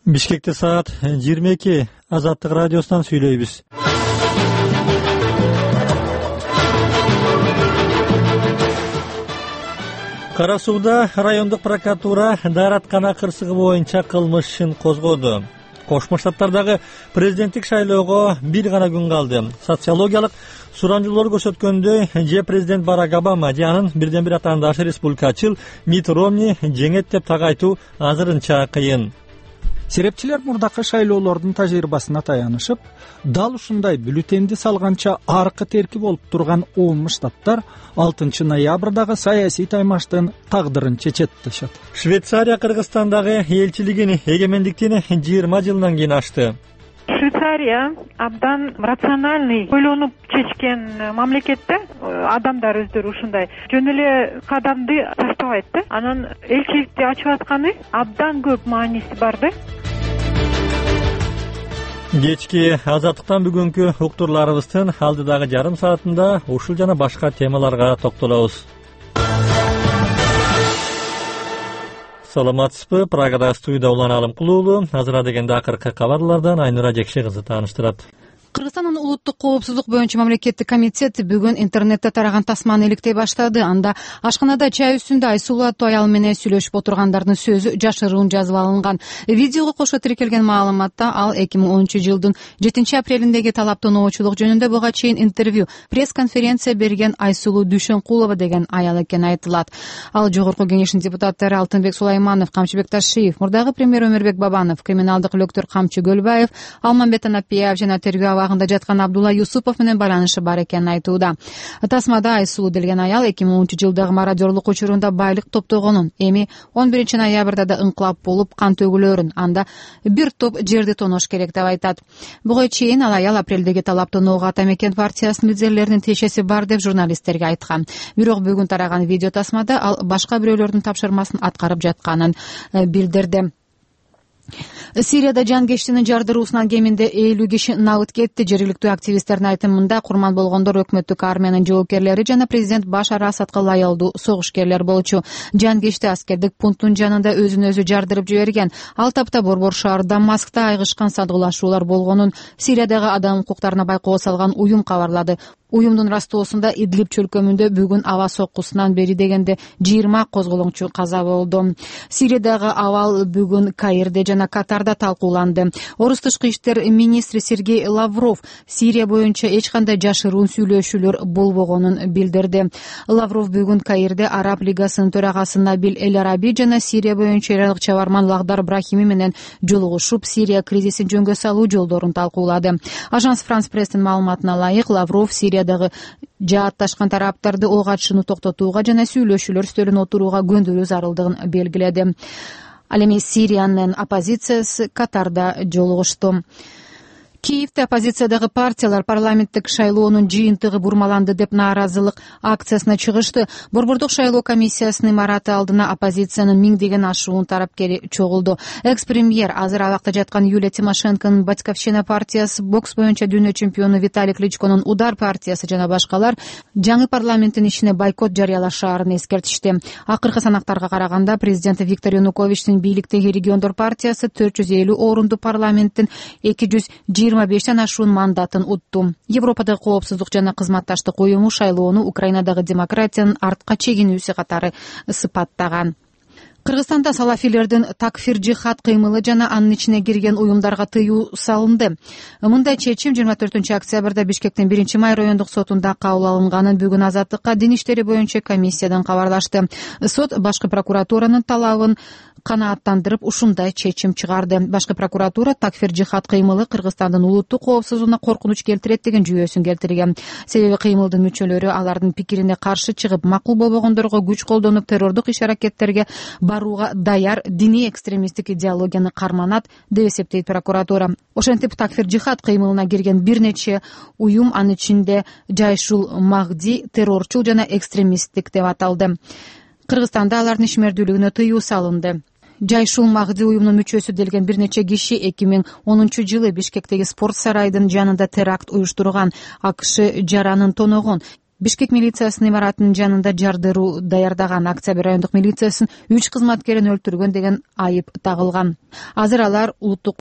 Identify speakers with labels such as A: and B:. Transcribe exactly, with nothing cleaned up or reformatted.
A: Бишкекте саат жыйырма эки. Азаттык радиосунан сүйлөйбүз. Кара Сууда райондук прокуратура даараткана кырсыгы боюнча кылмыш ишин козгоду. Кошмо Штаттардагы президенттик шайлоого бир гана күн калды. Социологиялык сурамжылоо көрсөткөндөй, же президент Барак Обама, же анын бирден бир атаандашы республикачыл Митт Ромни жеңет деп так айтуу азырынча кыйын.
B: Серепчилер мурдакы шайлоолордун тажрыйбасына таянышып, дал ушундай бюллетенди салганча аркы терки болуп турган он штаттар алтынчы ноябрдагы саясий таймаштын тагдырын чечет дешет.
A: Швейцария Кыргызстандагы элчилигин эгемендиктин жыйырма жылынан кийин ачты.
C: Швейцария абдан рациональный, ойлонуп чечкен мамлекет да. Адамдар өздөрү ушундай жөн эле кадамды таштабайт да. Анан элчиликти ачып атканы абдан көп мааниси бар да.
A: Кечки азаттыктан бүгүнкү уктурларыбыздын алдыдагы жарым саатында ушул жана башка темаларга токтолобуз. Саламатсызбы? Прагада студияда Улан Алымкулуулу. Азыр дегенде акыркы кабарлардан Айнура Жекше кызы тааныштырат.
D: Кыргызстандын улуттук коопсуздук боюнча мамлекеттик комитет бүгүн интернетте тараган тасманы иликтей баштады. Анда ашканада чай үстүндө Айсулуу аттуу аял менен сүйлөшүп отургандардын сөзү жашыруун жазып алынган. Видеого кошо тиркелген маалыматта ал эки миң онунчу жылдын жетинчи апрелиндеги талаптоонуучулук жөнүндө буга чейин интервью, пресс-конференция берген Айсулуу Дүйшөнкулова деген аял экени айтылат. Ал жогорку кеңештин депутаттары Алтынбек Сулайманов, Камчыбек Ташиев, мурдагы премьер Өмүрбек Бабанов, криминалдык лөктөр Камчы Көлбаев, Алмамбет Анапиев жана тергөө абагында жаткан Абдулла Юсупов менен байланышы бар экенин айтууда. Тасмада Айсулуу делген аял эки миң онунчу жылдагы мародёрлук учурунда байлык топтогонун, эми он биринчи ноябрда да ыңкылап болуп кан төгүлөрүн, анда бир топ жерди тонош керек деп айтат. Буга чейин ал аял апрелдеги талаптоноого Ата Мекен партиясынын лидерлеринин тиешеси бар деп журналисттерге айткан. Бирок бүгүн тараган видео тасмада ал башка бирөөлөрдүн тапшырмасын аткарып жатканын билдирди. Сирияда жанкештинин жардыруусунан кеминде элүү киши набыт кетти. Жергиликтүү активисттердин айтымында курман болгондор өкмөттүк армиянын жоокерлери жана президент Башар Асадка лаялдуу согушкерлер болчу. Жанкешти аскердик пункттун жанында өзүн өзү жардырып жиберген. Ал тапта борбор шаар Дамаскта айгышкан садгылашуулар болгонун Сириядагы адам укуктарына байкоо салган уюм кабарлады. Уюмдун растоосунда Идлиб чөлкөмүндө бүгүн аба соккусунан бери дегенде жыйырма козголоңчу каза болду. Сириядагы абал бүгүн Каирде жана Катарда талкууланды. Орус тышкы иштер министри Сергей Лавров Сирия боюнча эч кандай жашыруун сүйлөшүүлөр болбогонун билдирди. Лавров бүгүн Каирде Араб лигасынын төрагасы Набил Эль Араби жана Сирия боюнча ирандык чабарман Лагдар Брахими менен жолугушуп, Сирия кризисин жөнгө салуу жолдорун талкуулады. Ажанс Франс Пресстин маалыматына ылайык, Лавров Сирия Сириядагы жаатташкан тараптарды ок атышууну токтотууга жана сүйлөшүүлөр стөлүнө отурууга көндүрүү зарылдыгын белгиледи. Ал эми Сириянын оппозициясы Катарда жолугушту. Киевде оппозициядагы партиялар парламенттик шайлоонун жыйынтыгы бурмаланды деп нааразылык акциясына чыгышты. Борбордук шайлоо комиссиясынын имараты алдына оппозициянын миңдеген ашуун тарапкери чогулду. Экс-премьер, азыр абакта жаткан Юлия Тимошенконун Батьковщина партиясы, бокс боюнча дүйнө чемпиону Виталий Кличконун Удар партиясы жана башкалар жаңы парламенттин ишине бойкот жарыялашаарын эскертишти. Акыркы санактарга караганда президент Виктор Януковичтин бийликтеги региондор партиясы төрт жүз элүү орунду парламенттин эки жүз жыйырма бештен ашуун мандатын утту. Европадагы коопсуздук жана кызматташтык уюму шайлоону Украинадагы демократиянын артка чегинүүсү катары сыпаттаган. Кыргызстанда салафилердин такфир жихад кыймылы жана анын ичине кирген уюмдарга тыюу салынды. Мындай чечим жыйырма төртүнчү октябрда Бишкектин биринчи май райондук сотунда кабыл алынганын бүгүн Азаттыкка дин иштери боюнча комиссиядан кабарлашты. Сот башкы прокуратуранын талабын канааттандырып ушундай чечим чыгарды. Башкы прокуратура такфир жихад кыймылы Кыргызстандын улуттук коопсуздугуна коркунуч келтирет деген жүйөсүн келтирген. Себеби кыймылдын мүчөлөрү алардын пикирине каршы чыгып, макул болбогондорго күч колдонуп террордук иш-аракеттерге барууга даяр диний экстремисттик идеологияны карманат деп эсептейт прокуратура. Ошентип такфир жихад кыймылына кирген бир нече уюм, анын ичинде Жайшул Махди террорчул жана экстремисттик деп аталды. Кыргызстанда алардын ишмердүүлүгүнө тыюу салынды. Жайшул Махди уюмунун мүчөсү делген бир нече киши эки миң онунчу жылы Бишкектеги спорт сарайдын жанында теракт уюштурган. АКШ жаранын тоногон. Бишкек милициясынын имаратынын жанында жардыруу даярдаган Октябрь райондук милициясынын үч кызматкерин өлтүргөн деген айып тагылган. Азыр алар улуттук